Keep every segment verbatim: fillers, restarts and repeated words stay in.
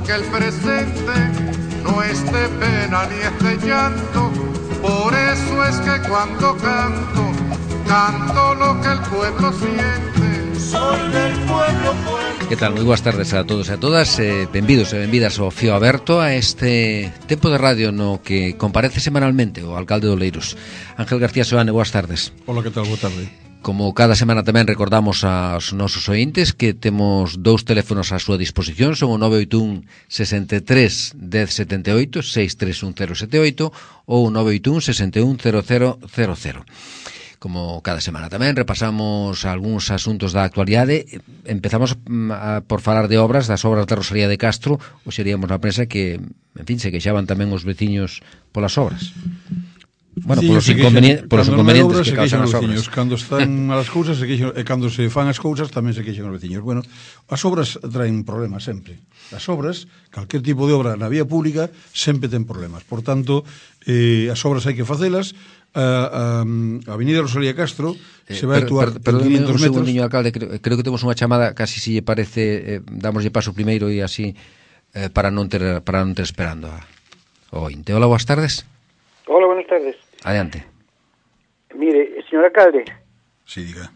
que el presente no es de pena ni es de llanto. Por eso es que cuando canto, canto lo que el pueblo siente. Soy del pueblo, pueblo. Que tal? Moi boas tardes a todos e a todas, eh, benvidos e benvidas ao Fío Aberto, a este tempo de radio no que comparece semanalmente o alcalde de Oleiros, Ángel García Soane. Boas tardes. Hola, que tal? Boa tarde. Como cada semana tamén recordamos aos nosos ointes que temos dous teléfonos á súa disposición, son o nove oito un, sesenta e tres, dez setenta e oito, seis tres un cero sete oito ou o nove oito un, sesenta e un, cero cero cero cero. Como cada semana tamén repasamos algúns asuntos da actualidade. Empezamos a, por falar de obras, das obras da Rosalía de Castro. Hoxe iríamos na prensa que, en fin, se queixaban tamén os veciños polas obras. Bueno, polos inconvenientes, polos inconvenientes que causan as obras. Cando están malas cousas se queixan, e cando se fan as cousas tamén se queixan os veciños. Bueno, as obras traen problemas sempre. As obras, calquer tipo de obra na vía pública sempre ten problemas. Por tanto, eh, as obras hai que facelas. A, a, a Avenida Rosalía Castro eh, se vai actuar per, per, en quinhentos metros. Un segundo, alcalde, creo, creo que temos unha chamada, casi si lle parece, eh, damoslle paso primeiro e así eh, para non ter para non ter esperando a, o ointe. Hola, boas tardes. Hola, buenas tardes. Adelante. Mire, señor alcalde. Sí, diga.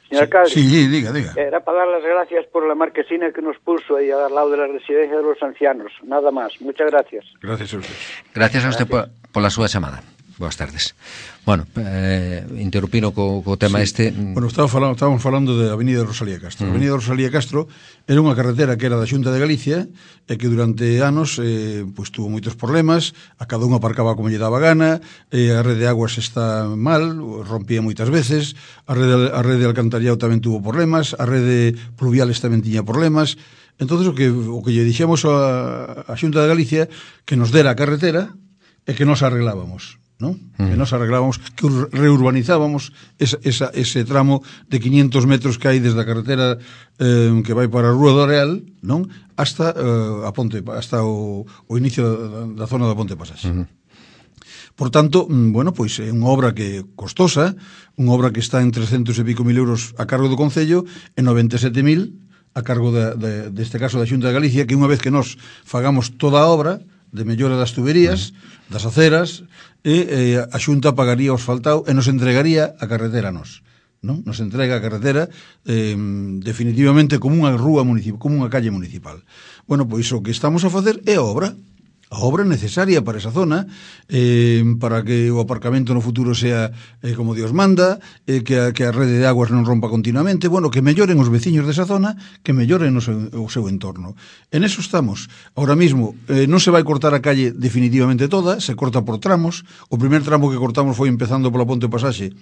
Señor sí, alcalde. Sí, diga, diga. Era para dar las gracias por la marquesina que nos puso ahí al lado de la residencia de los ancianos. Nada más. Muchas gracias. Gracias a usted. Gracias a usted por, por la súa chamada. Boas tardes. Bueno, eh, interrupino co, co tema sí. este. Bueno, estaba falando, estábamos falando de Avenida Rosalía Castro. Mm. Avenida Rosalía Castro era unha carretera que era da Xunta de Galicia e que durante anos eh, pues, tuvo moitos problemas, a cada un aparcaba como lle daba gana, eh, a rede de aguas está mal, rompía moitas veces, a rede, a rede de alcantarillado tamén tuvo problemas, a rede pluviales tamén tiña problemas. Entonces o que, o que lle dixemos a, a Xunta de Galicia que nos dera a carretera e que nos arreglábamos. ¿No? Mm. Que nos arreglábamos, que reurbanizábamos esa, esa, ese tramo de quinhentos metros que hai desde a carretera eh, que vai para a Rúa do Areal, non? Hasta eh, a ponte, hasta o, o inicio da, da zona da Ponte Pasaxe. Mm. Por tanto, bueno, pois é unha obra que costosa, unha obra que está en trescentos e pico mil euros a cargo do Concello e noventa e sete mil a cargo de, de, deste caso da Xunta de Galicia, que unha vez que nos fagamos toda a obra de mellora das tuberías, mm. das aceras, e eh, a Xunta pagaría o asfaltado e nos entregaría a carretera a nos, non? Nos entrega a carretera eh, definitivamente como unha rúa municipal, como unha calle municipal. Bueno, pois o que estamos a facer é a obra, a obra necesaria para esa zona, eh, para que o aparcamento no futuro sea eh, como Dios manda, eh, que, a, que a rede de aguas non rompa continuamente, bueno, que melloren os veciños desa zona, que melloren o seu, o seu entorno. En eso estamos. Ahora mismo eh, non se vai cortar a calle definitivamente toda, se corta por tramos. O primer tramo que cortamos foi empezando pola Ponte Pasaxe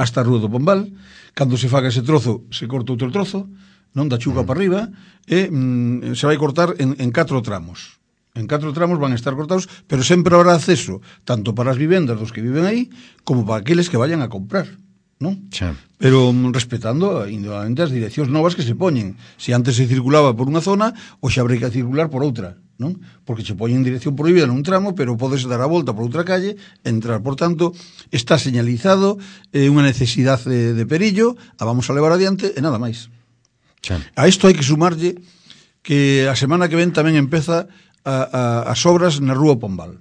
hasta a Rúa do Pombal. Cando se faga ese trozo, se corta outro trozo, non da Chuga mm. para arriba, e mm, se vai cortar en, en catro tramos. En catro tramos van a estar cortados, pero sempre habrá acceso tanto para as vivendas dos que viven aí como para aqueles que vayan a comprar, non? Sí. Pero um, respetando indudablemente as direccións novas que se poñen. Se antes se circulaba por unha zona, ou xa habrá que circular por outra, non? Porque se poñen dirección prohibida nun tramo, pero podes dar a volta por outra calle, entrar. Por tanto, está señalizado, é eh, unha necesidade de, de perillo, a vamos a levar adiante e nada máis. Sí. A isto hai que sumarlle que a semana que ven tamén empeza A, a, as obras na Rúa Pombal.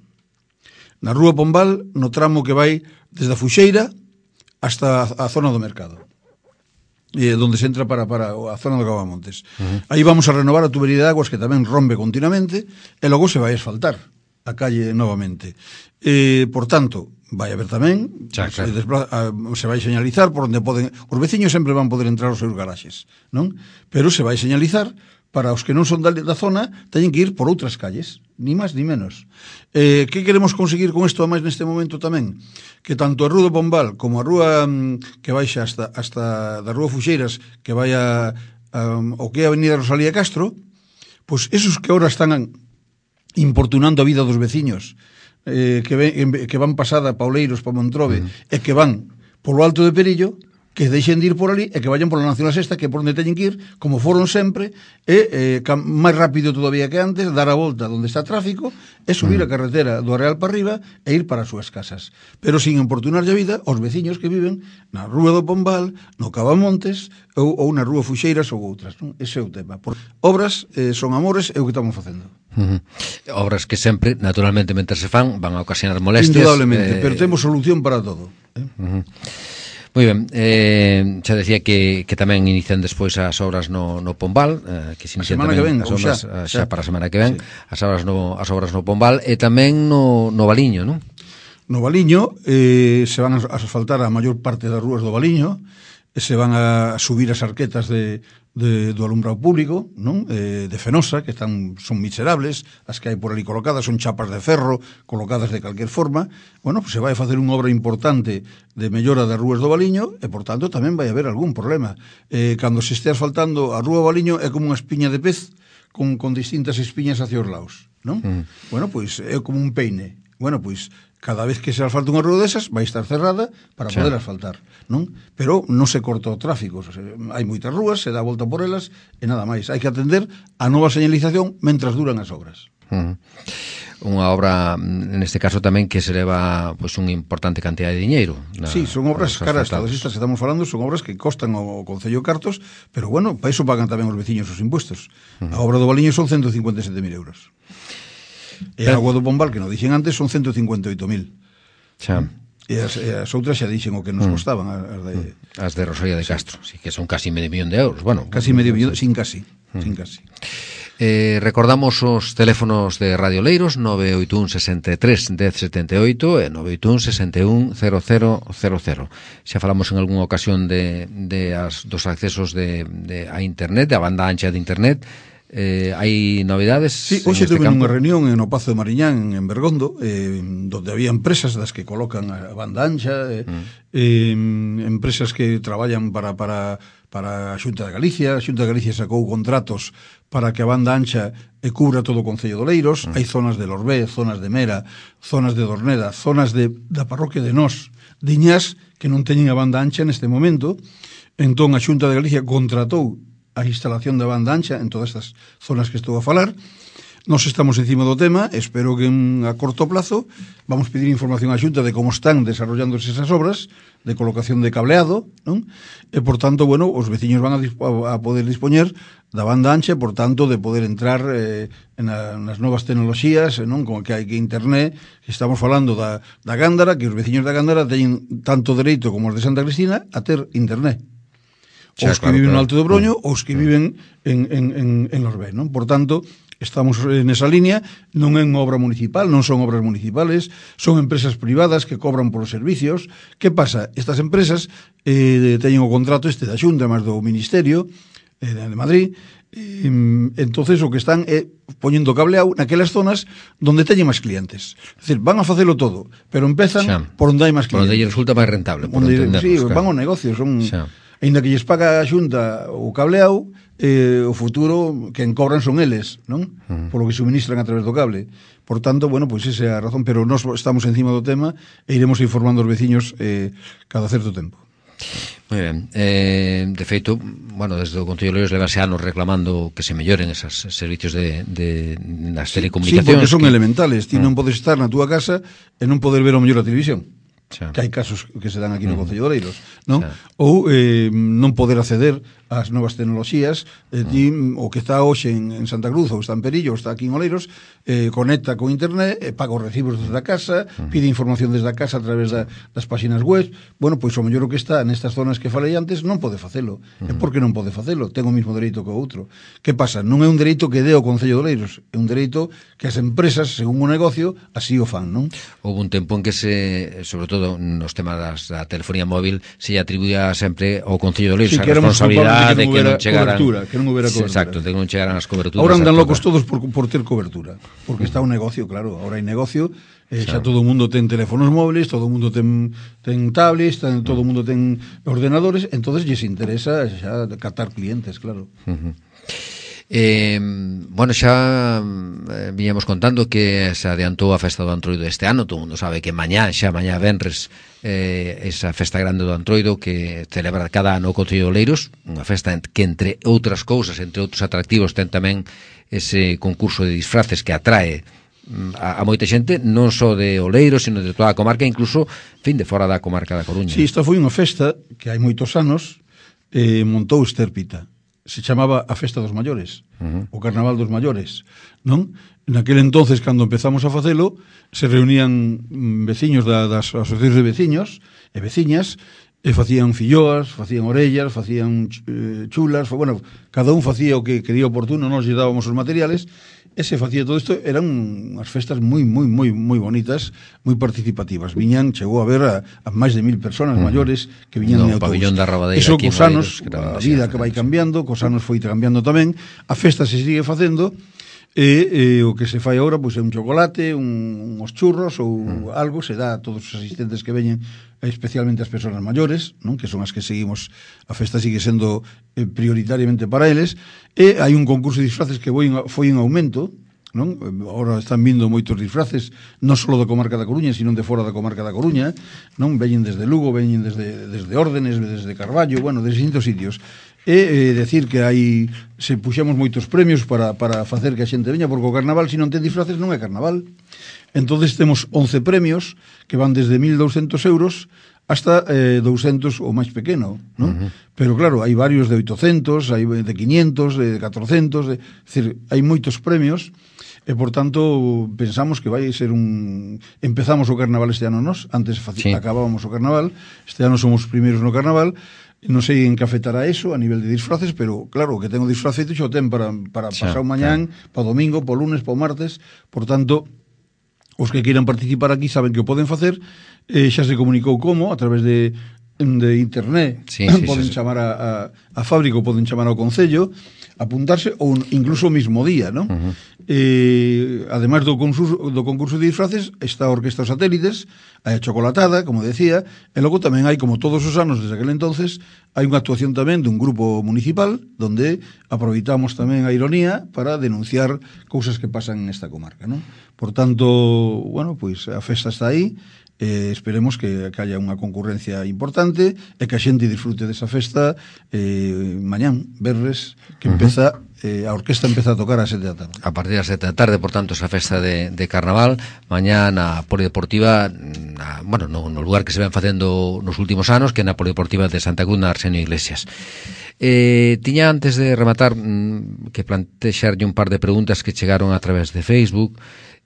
Na Rúa Pombal, no tramo que vai desde a Fuxeira hasta a, a zona do mercado, e donde se entra para, para a zona do Cavamontes. Uh-huh. Aí vamos a renovar a tubería de aguas que tamén rompe continuamente e logo se vai asfaltar a calle novamente. E, por tanto, vai haber tamén xa, se, desplaza, a, se vai señalizar por onde poden, os veciños sempre van poder entrar aos seus garaxes, non? Pero se vai señalizar para os que non son da, da zona, teñen que ir por outras calles, ni máis ni menos. Eh, que queremos conseguir con isto a máis neste momento tamén? Que tanto a Rúa do Pombal como a rúa mm, que baixa hasta, hasta da Rúa Fuxeiras, que vai a, a, o que é a Avenida Rosalía Castro, pois esos que ahora están importunando a vida dos veciños, eh, que, ven, que van pasada pa Oleiros, pa Montrobe, uh-huh. e que van polo Alto de Perillo, que deixen de ir por ali e que vayan pola Nacional Sexta, que é por onde teñen que ir, como foron sempre, e eh, máis rápido todavía que antes, dar a volta onde está tráfico e subir a carretera do Areal para arriba e ir para as súas casas. Pero sin importunar a vida aos veciños que viven na Rúa do Pombal, no Cavamontes ou, ou na Rúa Fuxeiras ou outras, non? Ese é o tema. Por obras eh, son amores, é o que estamos facendo. Uh -huh. Obras que sempre, naturalmente, mentre se fan, van a ocasionar molestias. Indudablemente, eh... pero temos solución para todo. Eh? Uh -huh. Moi ben, eh, xa decía que, que tamén inician despois as obras no, no Pombal, eh, que se inician tamén ven, as obras xa, xa, xa para a semana que ven, sí. as obras no, as obras no Pombal e tamén no, no Valiño, non? No Valiño eh, se van a asfaltar a maior parte das rúas do Valiño, e se van a subir as arquetas de, de, do alumbrado público, non? Eh, de Fenosa, que están son miserables, as que hai por ali colocadas son chapas de ferro colocadas de calquer forma. Bueno, pues se vai a facer unha obra importante de mellora das rúas do Valiño e, por tanto, tamén vai haber algún problema. Eh, cando se este asfaltando a rúa do Valiño é como unha espiña de pez con, con distintas espiñas hacia os lados, non? Mm. Bueno, pois pues, é como un peine. Bueno, pois pues, cada vez que se asfalta unha rúa desas vai estar cerrada para poder asfaltar, non? Pero non se corta o tráfico, o sea, hai moitas rúas, se dá a volta por elas e nada máis. Hai que atender a nova señalización mentras duran as obras. Uh -huh. Unha obra, neste caso tamén, que se leva pois, unha importante cantidad de diñeiro. Na, sí, son obras caras, todas estas que estamos falando son obras que costan o Concello cartos, pero bueno, para iso pagan tamén os veciños os impuestos. Uh -huh. A obra do Valiño son ciento cincuenta e sete mil euros. E a agua do Pombal, que nos dixen antes, son ciento cincuenta e oito mil. Xa. E as, e as outras xa dixen o que nos mm. costaban, as de... As de Rosalía de Castro, sí, que son casi medio millón de euros. Bueno, casi medio millón, sin casi, mm. sin casi. Eh, recordamos os teléfonos de Radio Leiros, nove oito un sesenta e tres dez setenta e oito e nove oito un sesenta e un cero cero cero cero. Xa falamos en algunha ocasión de, de as, dos accesos de, de a internet, de a banda ancha de internet. Eh, hai novidades? Sí, hoxe tuve unha reunión no Pazo de Mariñán en Bergondo, eh, donde había empresas das que colocan a banda ancha, eh, mm. eh, empresas que traballan para, para, para a Xunta de Galicia. A Xunta de Galicia sacou contratos para que a banda ancha e cubra todo o Concello de Oleiros. Mm. Hai zonas de Lorbé, zonas de Mera, zonas de Dorneda, zonas de, da parroquia de Nós, de Iñás, que non teñen a banda ancha neste momento. Entón a Xunta de Galicia contratou a instalación da banda ancha en todas estas zonas que estou a falar. Nos estamos encima do tema, espero que en, a corto plazo vamos pedir información á Xunta de como están desarrollándose esas obras de colocación de cableado, non? E, por tanto, bueno, os veciños van a, a poder dispoñer da banda ancha, por tanto, de poder entrar eh, en a, nas novas tecnoloxías, non? Como que hai que internet, que estamos falando da, da Gándara, que os veciños da Gándara teñen tanto dereito como os de Santa Cristina a ter internet. Xa, os que claro, viven claro. no Alto do Broño, ou os que viven en, en, en, en Lorbé, non? Por tanto, estamos nesa línea, non é unha obra municipal, non son obras municipales, son empresas privadas que cobran por os servicios. Que pasa? Estas empresas eh, teñen o contrato este da Xunta, máis do Ministerio eh, de Madrid, eh, entonces o que están é poñendo cableado naquelas zonas donde teñen máis clientes. É dicir, van a facelo todo, pero empezan xa. por onde hai máis clientes. Por onde resulta máis rentable, por onde, sí, claro. van ao negocio, son... Xa. Ainda que lles paga a Xunta o cableado, eh, o futuro quen cobran son eles, non? Uh -huh. Polo que suministran a través do cable. Por tanto, bueno, pois pues esa é a razón, pero nós estamos encima do tema e iremos informando aos veciños eh, cada certo tempo. Moi ben. Eh, de feito, bueno, desde o Concello de Oleiros levase anos reclamando que se melloren esos servicios de, de nas telecomunicacións. Sí, porque son que... elementales. Ti uh -huh. non podes estar na túa casa e non poder ver o mellor a televisión. Xa. Que hai casos que se dan aquí no Concello de Oleiros, non? Xa. Ou eh, non poder acceder ás novas tecnoloxías, eh, ti, o que está hoxe en, en Santa Cruz ou está en Perillo ou está aquí en Oleiros, eh, conecta con internet, eh, paga os recibos desde a casa, uh -huh. pide información desde a casa a través da, das páxinas web. Bueno, pois o mellor o que está nestas zonas que falei antes non pode facelo. Uh -huh. E por que non pode facelo? Ten o mismo dereito que o outro. Que pasa? Non é un dereito que dé o Concello de Oleiros, é un dereito que as empresas, según o negocio, así o fan, non? Houve un tempo en que se, sobre todo nos temas das, da telefonía móvil, se atribuía sempre ao Concello de Oleiros sí, a responsabilidade de que non chegaran cobertura, que non houbera cobertura. Exacto, de que non chegaran as coberturas. Ahora andan locos todos por, por ter cobertura, porque está un negocio, claro, ahora hai negocio, eh, xa todo o mundo ten teléfonos móviles, todo o mundo ten ten tablets, ten, todo o mundo ten ordenadores, entonces lles interesa xa captar clientes, claro. Uh -huh. Eh, bueno, xa eh, viñamos contando que se adiantou a festa do Antroido este ano. Todo mundo sabe que mañá, xa mañá venres, eh, esa festa grande do Antroido que celebra cada ano o Concello de Oleiros, unha festa que, entre outras cousas, entre outros atractivos, ten tamén ese concurso de disfraces que atrae a, a moita xente, non só de Oleiros, sino de toda a comarca, incluso, fin, de fora da comarca da Coruña. Si, sí, esta foi unha festa que hai moitos anos eh, montou Estérpita. Se chamaba a Festa dos Maiores, uh-huh. o Carnaval dos Maiores, non? Naquele entonces, cando empezamos a facelo, se reunían veciños da, das asociacións de veciños e veciñas, e facían filloas, facían orellas, facían eh, chulas, bueno, cada un facía o que quería oportuno, nos lle dábamos os materiales, e se facía todo isto. Eran unhas festas moi, moi, moi, moi bonitas, moi participativas. Viñan, chegou a ver a, a máis de mil personas uh-huh. maiores que viñan no, en autobús. Pabellón da Rabadeira. Iso cos anos, a vida que vai cambiando, cos anos foi cambiando tamén, a festa se sigue facendo, e, e o que se fai agora pois é un chocolate, un, uns churros ou uh-huh. algo, se dá a todos os asistentes que veñen, especialmente as persoas maiores, non? Que son as que seguimos, a festa sigue sendo eh, prioritariamente para eles, e hai un concurso de disfraces que foi, foi en aumento, non? Ahora están vindo moitos disfraces, non só da comarca da Coruña, sino de fora da comarca da Coruña, non? Veñen desde Lugo, veñen desde, desde Órdenes, desde Carballo, bueno, desde distintos sitios. E eh, decir que hai, se puxemos moitos premios para, para facer que a xente veña, porque o carnaval, se non ten disfraces, non é carnaval. Entonces temos once premios que van desde mil douscentos euros hasta eh, doscientos o máis pequeno, non? Uh-huh. Pero claro, hai varios de oitocentos, hai de quinientos, de catrocentos, de, é dicir, hai moitos premios, e por tanto pensamos que vai ser un... Empezamos o carnaval este ano nós, antes faci... sí. acabábamos o carnaval, este ano somos primeiros no carnaval. Non sei en que afectará eso a nivel de disfraces, pero claro, que tengo disfraz feito xo ten para, para xa, pasar mañán, claro. Para domingo, para lunes, para martes. Por tanto, os que queiran participar aquí saben que o poden facer. Eh, xa se comunicou como, a través de, de internet, sí, sí, poden sí, chamar a, a, a fábrica, poden chamar ao Concello, apuntarse, ou incluso o mismo día, non? Uh-huh. Eh, ademais do concurso, do concurso de disfraces, está a Orquesta Satélites, hai a chocolatada, como decía, e logo tamén hai, como todos os anos desde aquel entonces, hai unha actuación tamén dun grupo municipal, donde aproveitamos tamén a ironía para denunciar cousas que pasan nesta comarca, non? Por tanto, bueno, pois a festa está aí, eh, esperemos que, que haya unha concurrencia importante e que a xente disfrute desa festa eh, mañán, verres, que empeza, eh, a orquesta empeza a tocar a sete da tarde. A partir das sete da tarde, por tanto, esa festa de, de carnaval, mañán na Polideportiva, na, bueno, no, no lugar que se ven facendo nos últimos anos, que é na Polideportiva de Santa Cruz, na Arsenio Iglesias. Eh, tiña, antes de rematar, mm, que plantexarlle un par de preguntas que chegaron a través de Facebook.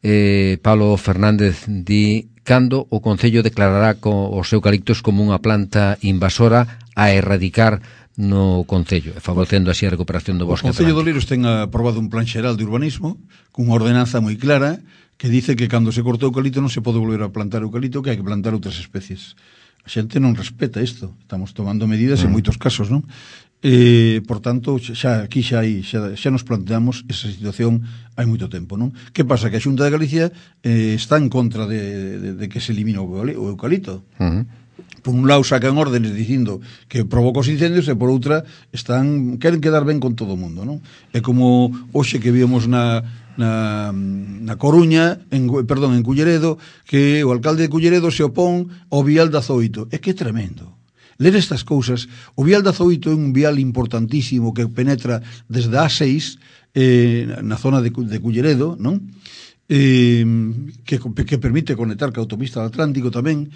Eh, Pablo Fernández di: cando o Concello declarará co, os eucaliptos como unha planta invasora a erradicar no Concello, favorecendo así a recuperación do bosque. O Concello de Oleiros ten aprobado un plan xeral de urbanismo cunha ordenanza moi clara que dice que cando se corta o eucalipto non se pode volver a plantar eucalipto, que hai que plantar outras especies. A xente non respeta isto, estamos tomando medidas mm. en moitos casos, non? Eh, por tanto, xa aquí xa, hai, xa, xa nos planteamos esa situación hai moito tempo, non? Que pasa? Que a Xunta de Galicia eh, está en contra de, de, de que se elimine o eucalipto. Uh-huh. Por un lado sacan órdenes dicindo que provoca os incendios, e por outra están queren quedar ben con todo o mundo, non? É como hoxe que víamos na na, na Coruña, en, perdón, en Culleredo, que o alcalde de Culleredo se opón ao vial de Azoito. É que é tremendo ler estas cousas. O vial de Azoito é un vial importantísimo que penetra desde a seis eh, na zona de, de Culleredo, non? Eh, que, que permite conectar ca autopista do Atlántico tamén.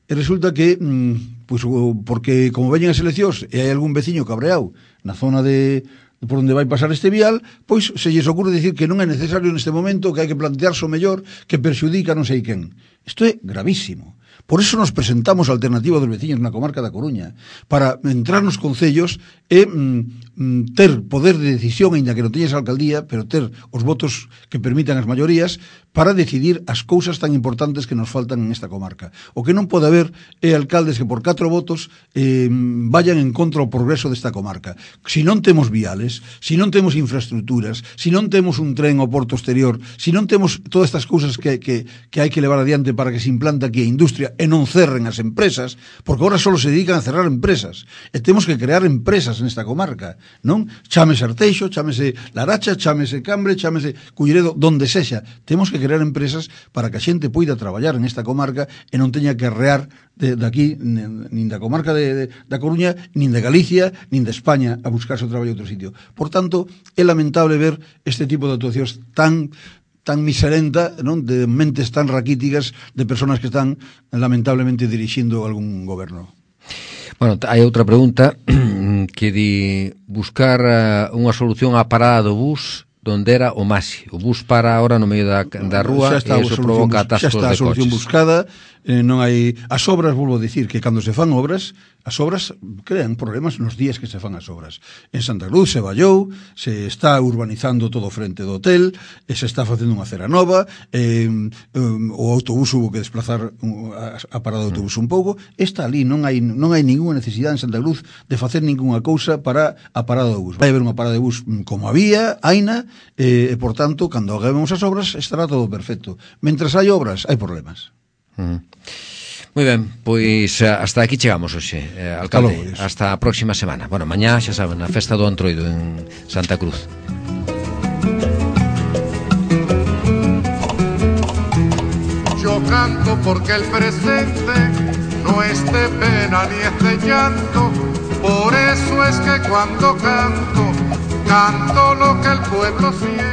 E resulta que, mm, pues, porque como veñen as eleccións e hai algún veciño cabreado na zona de por onde vai pasar este vial, pois se lles ocurre dicir que non é necesario neste momento, que hai que plantearse o mellor, que perxudica non sei quen. Isto é gravísimo. Por eso nos presentamos a alternativa dos veciños na comarca da Coruña, para entrar nos concellos e mm, ter poder de decisión, ainda que non teñas alcaldía, pero ter os votos que permitan as maiorías para decidir as cousas tan importantes que nos faltan en esta comarca. O que non pode haber é alcaldes que por catro votos eh, vayan en contra o progreso desta comarca. Si non temos viales, si non temos infraestructuras, si non temos un tren ao porto exterior, si non temos todas estas cousas que, que, que hai que levar adiante para que se implante aquí a industria industria e non cerren as empresas, porque agora só se dedican a cerrar empresas, e temos que crear empresas nesta comarca, non? Chámese Arteixo, chámese Laracha, chámese Cambre, chámese Culleredo, donde sexa, temos que crear empresas para que a xente poida traballar nesta comarca e non teña que arrear de, de aquí, nin da comarca de, de, da Coruña, nin de Galicia, nin de España a buscarse o traballo a outro sitio. Por tanto, é lamentable ver este tipo de actuacións tan tan miserenta, non, de mentes tan raquíticas de personas que están lamentablemente dirixindo algún goberno. Bueno, hai outra pregunta que di buscar uh, unha solución á parada do bus donde era o Maxi. O bus para ahora no medio da, da rúa e iso provoca atascos de coches. Xa está a solución buscada, eh, non hai... As obras, volvo a dicir, que cando se fan obras, as obras crean problemas nos días que se fan as obras. En Santa Cruz se vallou, se está urbanizando todo frente do hotel, e se está facendo unha acera nova, eh, um, o autobús hubo que desplazar a, a parada do autobús un pouco. Está ali, non hai non hai ninguna necesidade en Santa Cruz de facer ninguna cousa para a parada do bus. Vai haber unha parada de bus como había, haina, e, e por tanto, cando hagamos as obras, estará todo perfecto. Mentras hai obras, hai problemas. Mm. Moi ben, pois hasta aquí chegamos hoxe, eh, alcalde. Hasta a próxima semana. Bueno, mañá, xa saben, a festa do Antroido en Santa Cruz. Yo canto porque el presente no es de pena ni es de llanto, por eso es que cuando canto, canto lo que el pueblo siente.